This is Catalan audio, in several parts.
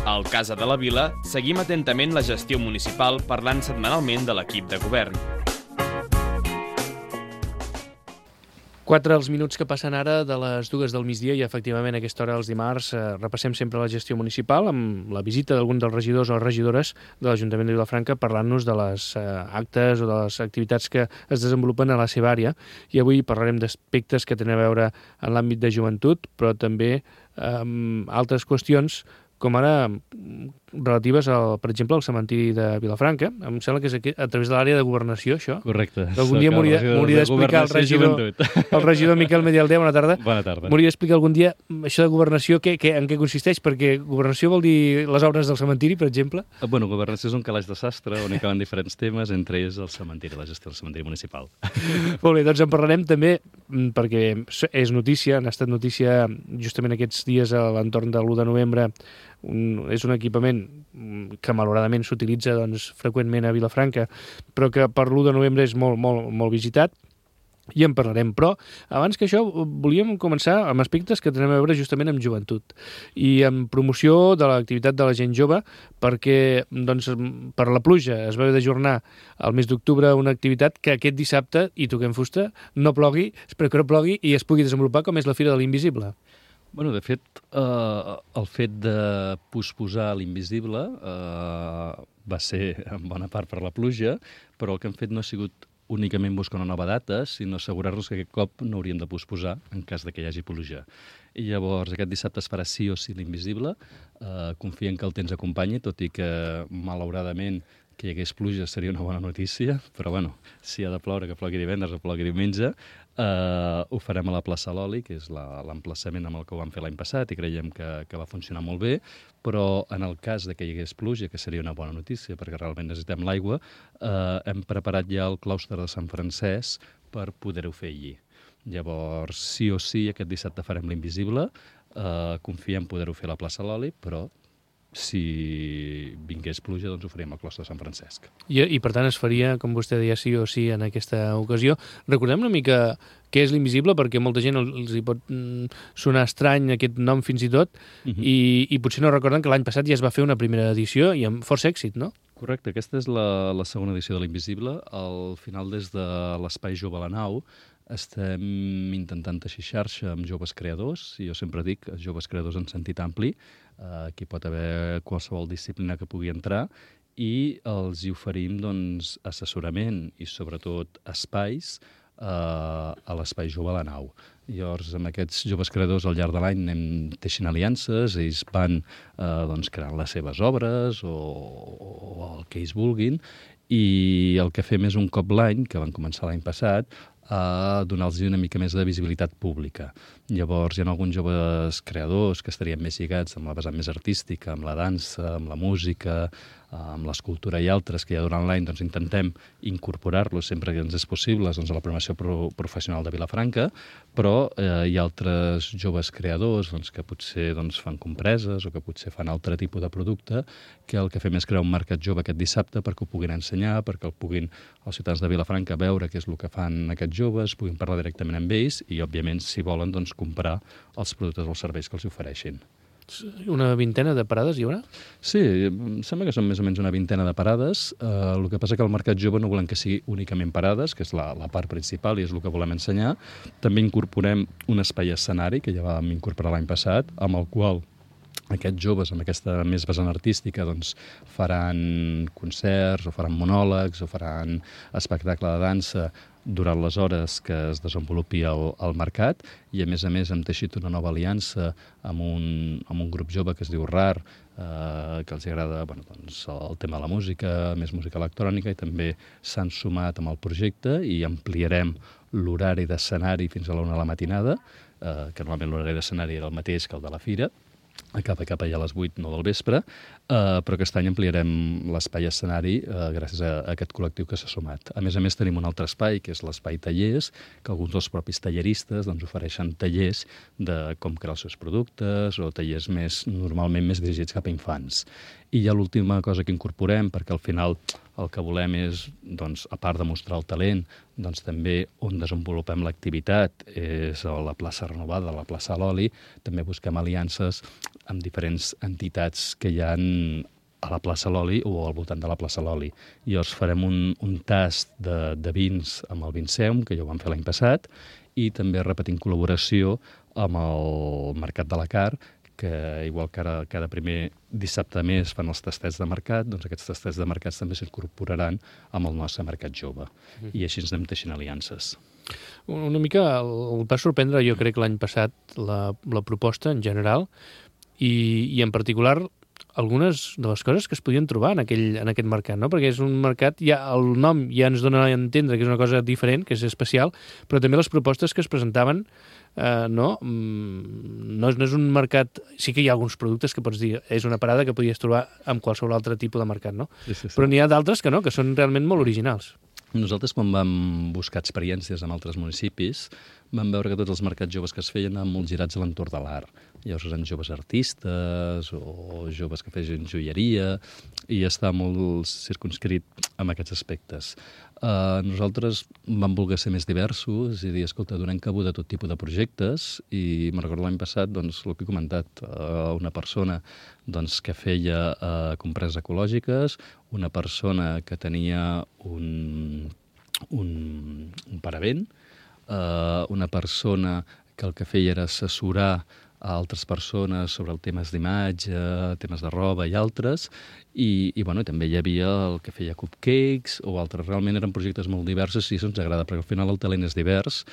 Al Casa de la Vila seguim atentament la gestió municipal parlant setmanalment de l'equip de govern. 4 els minuts que passen ara de les 2 del migdia i efectivament a aquesta hora els dimarts repassem sempre la gestió municipal amb la visita d'algun dels regidors o regidores de l'Ajuntament de Vilafranca parlant-nos de les actes o de les activitats que es desenvolupen a la seva àrea i avui parlarem d'aspectes que tenen a veure en l'àmbit de joventut però també altres qüestions com ara relatives, per exemple, al cementiri de Vilafranca. Em sembla que és aquí, a través de l'àrea de governació, això. Correcte. Algun dia m'hauria d'explicar el regidor Miquel Medialdea, bona tarda. Bona tarda. M'hauria d'explicar algun dia això de governació, en què consisteix, perquè governació vol dir les obres del cementiri, per exemple? Bueno, governació és un calaix de sastre on hi caben diferents temes, entre ells el cementiri, la gestió del cementiri municipal. Molt bé, doncs en parlarem també, perquè és notícia, han estat notícia justament aquests dies a l'entorn de l'1 de novembre, és un equipament que malauradament s'utilitza freqüentment a Vilafranca, però que per l'1 de novembre és molt visitat, i en parlarem. Però abans que això volíem començar amb aspectes que tenen a veure justament amb joventut i amb promoció de l'activitat de la gent jove, perquè per la pluja es va haver d'ajornar al mes d'octubre una activitat que aquest dissabte, i toquem fusta, no plogui, espero que no plogui i es pugui desenvolupar, com és la Fira de l'Invisible. Bueno, de fet, el fet de posposar l'Invisible va ser en bona part per la pluja, però el que hem fet no ha sigut únicament buscar una nova data, sinó assegurar-nos que aquest cop no hauríem de posposar en cas de que hi hagi pluja. I llavors aquest dissabte es farà sí o sí l'Invisible. Confiem que el temps acompanyi, tot i que malauradament que hi hagués pluja seria una bona notícia, però bueno, si ha de ploure, que plogui divendres o plogui diumenge. Ho farem a la plaça Loli, que és l'emplaçament amb el que ho vam fer l'any passat i creiem que va funcionar molt bé, però en el cas de que hi hagués pluja, que seria una bona notícia perquè realment necessitem l'aigua, hem preparat ja el claustre de Sant Francesc per poder-ho fer allí. Llavors, sí o sí, aquest dissabte farem l'Invisible, confiem poder-ho fer a la plaça Loli, però si vingués pluja, doncs ho faríem al claustre de Sant Francesc. I per tant es faria, com vostè deia, sí o sí en aquesta ocasió. Recordem una mica què és l'Invisible, perquè molta gent els hi pot sonar estrany aquest nom fins i tot, i potser no recorden que l'any passat ja es va fer una primera edició i amb força èxit, no? Correcte, aquesta és la segona edició de l'Invisible. Al final, des de l'Espai Jove a la Nau, estem intentant teixir xarxa amb joves creadors, i jo sempre dic joves creadors en sentit ampli, aquí pot haver qualsevol disciplina que pugui entrar, i els hi oferim assessorament i sobretot espais a l'Espai Jove a la Nau. Llavors, amb aquests joves creadors al llarg de l'any anem teixint aliances, ells van creant les seves obres o el que ells vulguin, i el que fem és un cop l'any, que van començar l'any passat, a donar-los una mica més de visibilitat pública. Llavors, hi ha alguns joves creadors que estarien més lligats amb la vessant més artística, amb la dansa, amb la música, amb l'escultura i altres, que ja durant l'any intentem incorporar-los sempre que ens és possible a la programació professional de Vilafranca, però hi ha altres joves creadors que potser fan compreses o que potser fan altre tipus de producte, que el que fem és crear un mercat jove aquest dissabte perquè ho puguin ensenyar, perquè el puguin els ciutadans de Vilafranca veure què és el que fan aquests joves, puguin parlar directament amb ells i, òbviament, si volen, comprar els productes o els serveis que els ofereixin. Una vintena de parades hi haurà? Sí, em sembla que són més o menys una vintena de parades. El que passa que al mercat jove no volem que sigui únicament parades, que és la part principal i és el que volem ensenyar. També incorporem un espai escenari, que ja vam incorporar l'any passat, amb el qual aquests joves amb aquesta més vessant artística faran concerts o faran monòlegs o faran espectacle de dansa durant les hores que es desenvolupi al mercat, i a més hem teixit una nova aliança amb un grup jove que es diu RAR, que els agrada el tema de la música, més música electrònica, i també s'han sumat amb el projecte i ampliarem l'horari d'escenari fins a la 1 de la matinada, que normalment l'horari d'escenari era el mateix que el de la fira, acaba cap allà a les 8, 9 del vespre, però aquest any ampliarem l'espai escenari gràcies a aquest col·lectiu que s'ha sumat. A més tenim un altre espai, que és l'espai tallers, que alguns dels propis talleristes ofereixen tallers de com crear els seus productes o tallers normalment més dirigits cap a infants. I ja l'última cosa que incorporem, perquè al final el que volem és, a part de mostrar el talent, també on desenvolupem l'activitat és a la plaça renovada, a la plaça Loli, també busquem aliances amb diferents entitats que hi ha a la plaça Loli o al voltant de la plaça Loli. Llavors farem un tast de vins amb el Vinceum, que ja ho vam fer l'any passat, i també repetim col·laboració amb el Mercat de la Car, que igual que ara cada primer dissabte de mes fan els tastets de mercat, doncs aquests tastets de mercats també s'incorporaran amb el nostre mercat jove. I així ens anem teixint aliances. Una mica el va sorprendre, jo crec, l'any passat la proposta en general i en particular algunes de les coses que es podien trobar en aquest mercat, no? Perquè és un mercat, el nom ja ens dona a entendre que és una cosa diferent, que és especial, però també les propostes que es presentaven no és un mercat... Sí que hi ha alguns productes que pots dir és una parada que podies trobar en qualsevol altre tipus de mercat, no? Sí. Però n'hi ha d'altres que no, que són realment molt originals. Nosaltres, quan vam buscar experiències en altres municipis, vam veure que tots els mercats joves que es feien anaven molt girats a l'entorn de l'art. Llavors eren joves artistes o joves que feien joieria i està molt circunscrit amb aquests aspectes. Nosaltres vam voler ser més diversos i dir, escolta, donem cabuda a tot tipus de projectes i me'n recordo l'any passat, doncs, el que he comentat, una persona que feia compreses ecològiques, una persona que tenia un paravent, una persona que el que feia era assessorar a altres persones sobre temes d'imatge, temes de roba i altres, i també hi havia el que feia cupcakes o altres. Realment eren projectes molt diversos i això ens agrada, perquè al final el talent és divers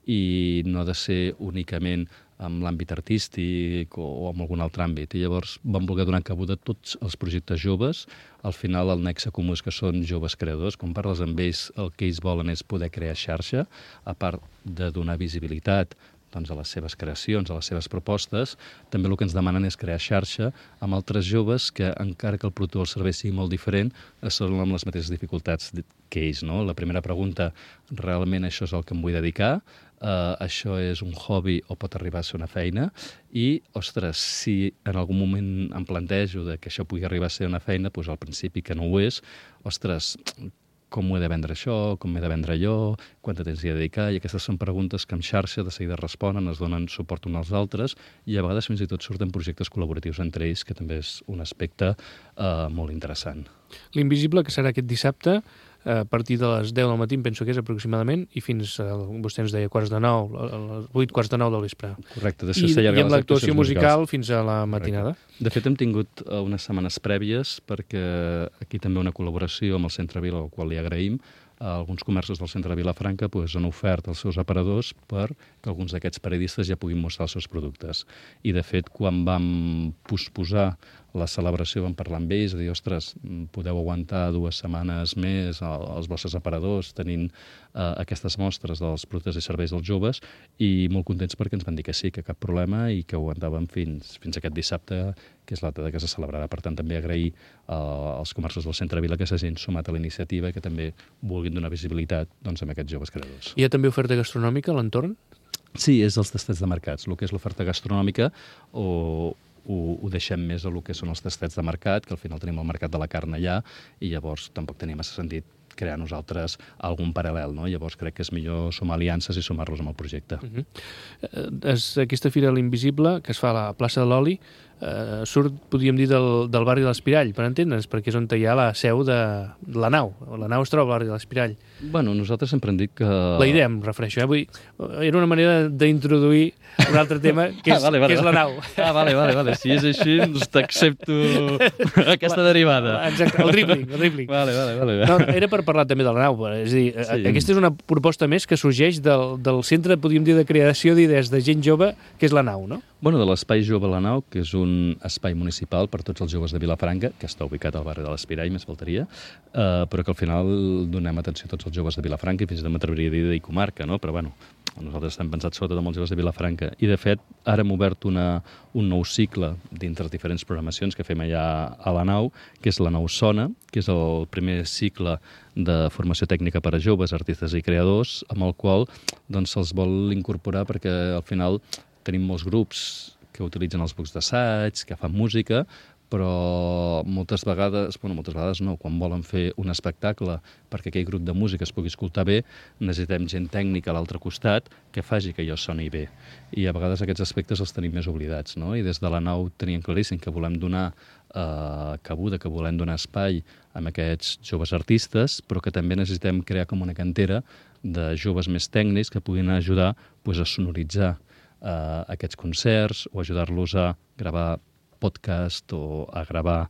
i no ha de ser únicament en l'àmbit artístic o en algun altre àmbit. I llavors vam voler donar cabuda a tots els projectes joves. Al final el nexe comú és que són joves creadors. Quan parles amb ells, el que ells volen és poder crear xarxa, a part de donar visibilitat a les seves creacions, a les seves propostes. També el que ens demanen és crear xarxa amb altres joves que, encara que el producte o el servei sigui molt diferent, són amb les mateixes dificultats que ells. No? La primera pregunta, realment això és el que em vull dedicar? Això és un hobby o pot arribar a ser una feina? I, ostres, si en algun moment em plantejo que això pugui arribar a ser una feina, doncs al principi que no ho és, ostres, com ho he de vendre això, com m'he de vendre allò, quant de temps hi he de dedicar, i aquestes són preguntes que en xarxa de seguida responen, es donen suport uns als altres, i a vegades fins i tot surten projectes col·laboratius entre ells, que també és un aspecte molt interessant. L'Invisible, que serà aquest dissabte, a partir de les 10 del matí, penso que és aproximadament, i fins, vostè ens deia, 8:45 del vespre. Correcte. I amb l'actuació musical fins a la matinada. Correcte. De fet, hem tingut unes setmanes prèvies, perquè aquí també una col·laboració amb el Centre Vila, al qual li agraïm. Alguns comerços del centre de Vilafranca han ofert als seus aparadors perquè alguns d'aquests periodistes ja puguin mostrar els seus productes. I, de fet, quan vam posposar la celebració vam parlar amb ells, dir, ostres, podeu aguantar 2 setmanes més als vostres aparadors tenint aquestes mostres dels productes i serveis dels joves, i molt contents perquè ens van dir que sí, que cap problema, i que aguantàvem fins aquest dissabte, que és la data que se celebrarà. Per tant, també agrair als comerços del Centre Vila que s'hagin sumat a la iniciativa i que també vulguin donar visibilitat a aquests joves creadors. Hi ha també oferta gastronòmica a l'entorn? Sí, és els tastets de mercats. El que és l'oferta gastronòmica ho deixem més a el que són els tastets de mercat, que al final tenim el mercat de la carn allà, i llavors tampoc tenia massa sentit crear nosaltres algun paral·lel, no? Llavors crec que és millor sumar aliances i sumar-los amb el projecte. Aquesta fira l'Invisible, que es fa a la plaça de l'Oli, surt, podríem dir, del barri de l'Espirall, per entendre'ns, perquè és on hi ha la seu de la nau. La nau es troba al barri de l'Espirall. Bueno, nosaltres sempre hem dit que... La idea, em refereixo. Vull dir, era una manera d'introduir un altre tema, que és, que és la nau. Vale. Si és així, doncs t'accepto aquesta derivada. Exacte, el dribbling. Vale. No, era per parlar també de la nau. És a dir, sí. Aquesta és una proposta més que sorgeix del centre, podríem dir, de creació d'idees de gent jove, que és la nau, no? Bueno, de l'Espai Jove La Nau, que és un espai municipal per tots els joves de Vilafranca, que està ubicat al barri de l'Espirall, més faltaria, però que al final donem atenció a tots els joves de Vilafranca i fins i tot m'atreviria a dir comarca, no? Però bueno, nosaltres estem pensats sobretot amb els joves de Vilafranca. I de fet, ara hem obert un nou cicle dintre diferents programacions que fem allà a la nau, que és la Nau Sona, que és el primer cicle de formació tècnica per a joves, artistes i creadors, amb el qual doncs, se'ls vol incorporar perquè al final tenim molts grups que utilitzen els bucs d'assaig, que fan música, però moltes vegades no, quan volen fer un espectacle perquè aquell grup de música es pugui escoltar bé, necessitem gent tècnica a l'altre costat que faci que allò soni bé. I a vegades aquests aspectes els tenim més oblidats, no? I des de la nau teníem claríssim que volem donar cabuda, que volem donar espai a aquests joves artistes, però que també necessitem crear com una cantera de joves més tècnics que puguin ajudar a sonoritzar aquests concerts o ajudar-los a gravar podcast o a gravar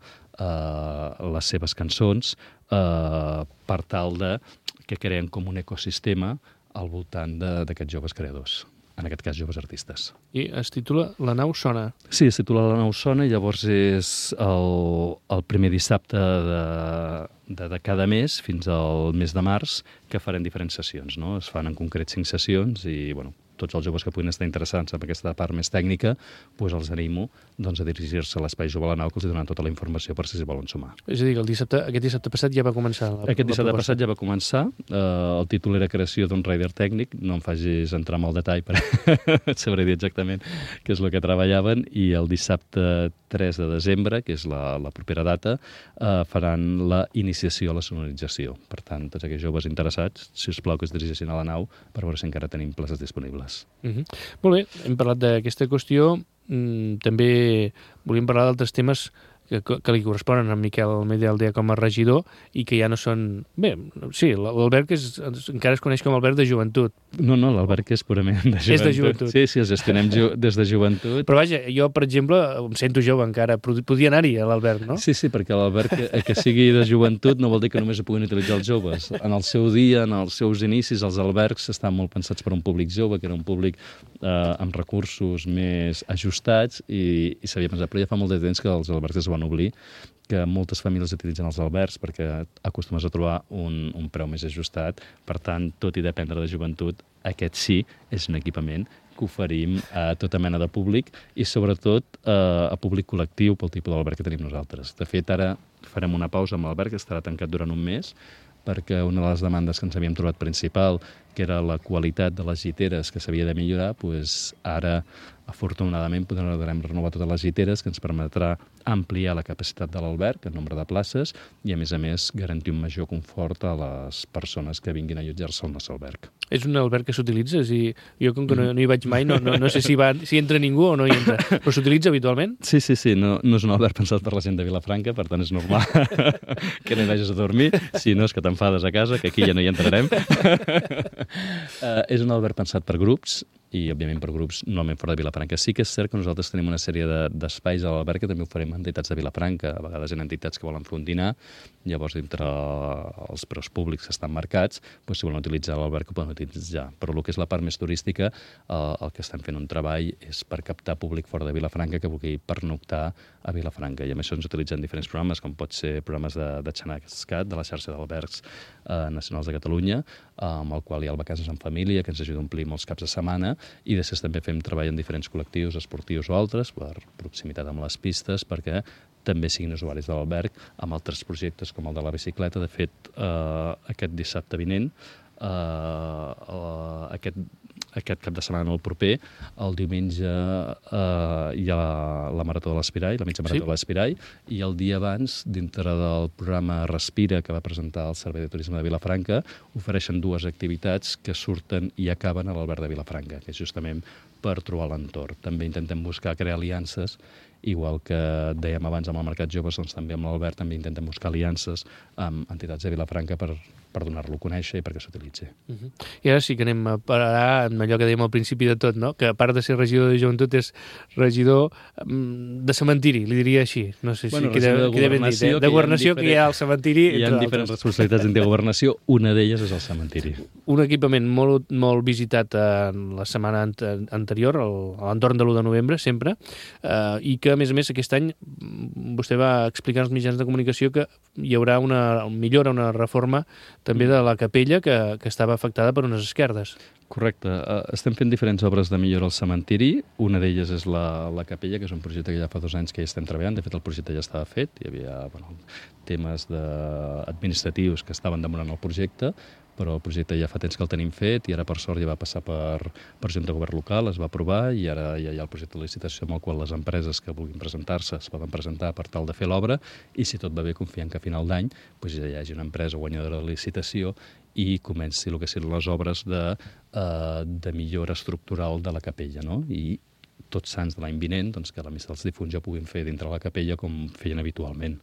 les seves cançons per tal de que creen com un ecosistema al voltant d'aquests joves creadors, en aquest cas joves artistes. I es titula La nau sona. Sí, es titula La nau sona i llavors és el primer dissabte de cada mes fins al mes de març que farem diferents sessions, no? Es fan en concret 5 sessions i, bueno, tots els joves que puguin estar interessats en aquesta part més tècnica, doncs els animo a dirigir-se a l'Espai Jove a la Nau, que els donaran tota la informació per si s'hi volen sumar. És a dir, que aquest dissabte passat ja va començar Aquest dissabte passat ja va començar. El títol era Creació d'un rider tècnic. No em facis entrar en el detall, però et sabré dir exactament què és el que treballaven. I el dissabte 3 de desembre, que és la propera data, faran la iniciació a la sonorització. Per tant, tots aquells joves interessats, si us plau que es dirigeixin a la nau per veure si encara tenim places disponibles. Molt bé, hem parlat d'aquesta qüestió. També volíem parlar d'altres temes que li corresponen a Miquel Almeida Aldea com a regidor i que ja no són... Bé, sí, l'Alberg encara es coneix com Alberg de Joventut. No, l'Alberg és purament de joventut. És de joventut. Sí, el gestionem des de joventut. Però vaja, jo, per exemple, em sento jove encara. Podia anar-hi a l'Alberg, no? Sí, perquè l'Alberg que sigui de joventut no vol dir que només ho puguin utilitzar els joves. En el seu dia, en els seus inicis, els albergs estan molt pensats per un públic jove, que era un públic amb recursos més ajustats i s'havia pensat. Però ja fa molt de temps que els albergs es van oblir, que moltes famílies utilitzen els albergs perquè acostumes a trobar un preu més ajustat. Per tant, tot i dependre de joventut, aquest sí és un equipament que oferim a tota mena de públic i sobretot a públic col·lectiu pel tipus d'alberg que tenim nosaltres. De fet, ara farem una pausa amb l'alberg, que estarà tancat durant un mes, perquè una de les demandes que ens havíem trobat principal, que era la qualitat de les lliteres que s'havia de millorar, doncs ara, afortunadament, podrem renovar totes les lliteres, que ens permetrà ampliar la capacitat de l'alberg, el nombre de places, i a més, garantir un major confort a les persones que vinguin a allotjar-se al nostre alberg. És un alberg que s'utilitza? Jo, com que no hi vaig mai, no sé si entra ningú o no hi entra. Però s'utilitza habitualment? Sí. No és un alberg pensat per la gent de Vilafranca, per tant és normal que no hi vagis a dormir. Si no, és que t'enfades a casa, que aquí ja no hi entrarem. És un alberg pensat per grups, i, òbviament, per grups normalment fora de Vilafranca. Sí que és cert que nosaltres tenim una sèrie d'espais a l'alberg que també oferim a entitats de Vilafranca. A vegades hi ha entitats que volen fer un dinar, llavors, dintre els preus públics que estan marcats, doncs, si volen utilitzar l'alberg, ho poden utilitzar. Però el que és la part més turística, el que estem fent un treball és per captar públic fora de Vilafranca que vulgui pernoctar a Vilafranca. I amb això ens utilitzen diferents programes, com pot ser programes de Xanascat, de la xarxa d'albergs nacionals de Catalunya, amb el qual hi ha el Vacances en Família, que ens ajuda a omplir molts caps de setmana, i després també fem treball en diferents col·lectius esportius o altres, per proximitat amb les pistes, perquè també siguin usuaris de l'alberg, amb altres projectes com el de la bicicleta. De fet, aquest dissabte vinent, aquest cap de setmana, el proper, el diumenge hi ha la Marató de l'Espirall, la mitja Marató de l'Espirall, i el dia abans, dintre del programa Respira, que va presentar el Servei de Turisme de Vilafranca, ofereixen 2 activitats que surten i acaben a l'alberg de Vilafranca, que és justament per trobar l'entorn. També intentem buscar crear aliances, igual que dèiem abans amb el Mercat Joves, doncs també amb l'Albert també intentem buscar aliances amb entitats de Vilafranca per donar-lo a conèixer i perquè s'utilitzi. I ara sí que anem a parar amb allò que dèiem al principi de tot, no? Que a part de ser regidor de joventut és regidor de cementiri, li diria així. No sé si queda ben dit. De governació, que hi ha el cementiri. Hi ha diferents responsabilitats de governació, una d'elles és el cementiri. Un equipament molt visitat la setmana anterior, a l'entorn de l'1 de novembre, sempre, i que, a més, aquest any, vostè va explicar als mitjans de comunicació que hi haurà una millora, una reforma també de la capella que estava afectada per unes esquerdes. Correcte. Estem fent diferents obres de millora al cementiri. Una d'elles és la capella, que és un projecte que ja fa 2 anys que hi estem treballant. De fet, el projecte ja estava fet. Hi havia temes administratius que estaven demorant el projecte, però el projecte ja fa temps que el tenim fet i ara, per sort, ja va passar per Junta de Govern local, es va aprovar i ara ja hi ha el projecte de licitació amb el qual les empreses que vulguin presentar-se es poden presentar per tal de fer l'obra i, si tot va bé, confiem que a final d'any ja hi hagi una empresa guanyadora de la licitació i comenci el que siguin les obres de millora estructural de la capella, no? I Tots Sants de l'any vinent, doncs, que la missa dels difunts ja puguin fer dintre la capella com feien habitualment.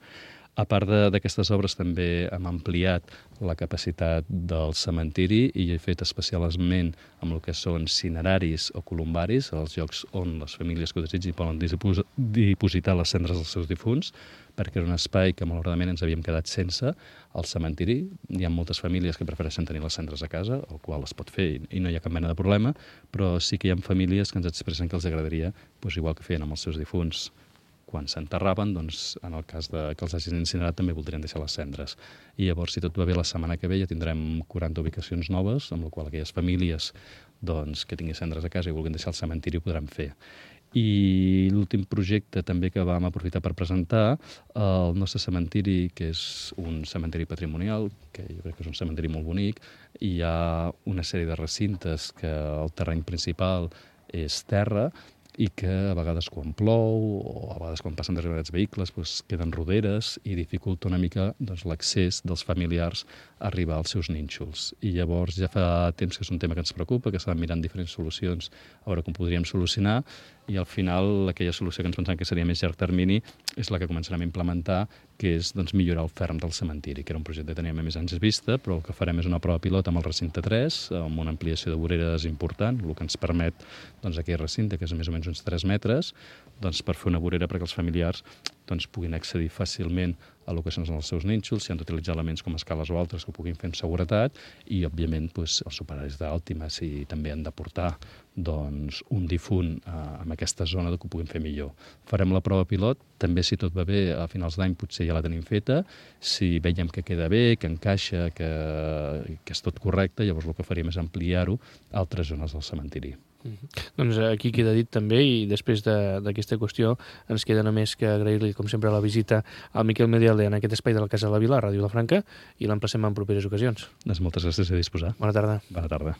A part d'aquestes obres també hem ampliat la capacitat del cementiri i he fet especialment amb el que són cineraris o columbaris, els llocs on les famílies que ho desitgin poden dipositar les cendres dels seus difunts, perquè era un espai que malauradament ens havíem quedat sense. Al cementiri hi ha moltes famílies que prefereixen tenir les cendres a casa, el qual es pot fer i no hi ha cap mena de problema, però sí que hi ha famílies que ens expressen que els agradaria, igual que feien amb els seus difunts, quan s'enterraven, doncs, en el cas que els hagin incinerat, també voldrien deixar les cendres. I llavors, si tot va bé, la setmana que ve ja tindrem 40 ubicacions noves, amb la qual aquelles famílies que tinguin cendres a casa i vulguin deixar el cementiri ho podran fer. I l'últim projecte també que vam aprofitar per presentar, el nostre cementiri, que és un cementiri patrimonial, que jo crec que és un cementiri molt bonic, i hi ha una sèrie de recintes que el terreny principal és terra, i que a vegades quan plou o a vegades quan passen determinats vehicles queden roderes i dificulta una mica l'accés dels familiars a arribar als seus nínxols. I llavors ja fa temps que és un tema que ens preocupa, que estàvem mirant diferents solucions a veure com podríem solucionar, i al final aquella solució que ens pensàvem que seria més llarg termini és la que començarem a implementar, que és millorar el ferm del cementiri, que era un projecte que teníem a més anys vista, però el que farem és una prova pilot amb el recinte 3, amb una ampliació de voreres important, el que ens permet aquell recinte, que és més o menys uns 3 metres, per fer una vorera perquè els familiars puguin accedir fàcilment a lo que són els seus nínxols, si han d'utilitzar elements com escales o altres que ho puguin fer amb seguretat, i, òbviament, els operaris d'Àltima, si també han de portar un difunt en aquesta zona, que ho puguin fer millor. Farem la prova pilot, també, si tot va bé, a finals d'any potser ja la tenim feta. Si veiem que queda bé, que encaixa, que és tot correcte, llavors el que faríem és ampliar-ho a altres zones del cementiri. Doncs aquí queda dit també, i després d'aquesta qüestió ens queda només que agrair-li, com sempre, la visita al Miquel Medialde en aquest espai de la Casa de la Vila, a Ràdio Vilafranca, i l'emplacem en properes ocasions. Moltes gràcies a disposar. Bona tarda. Bona tarda.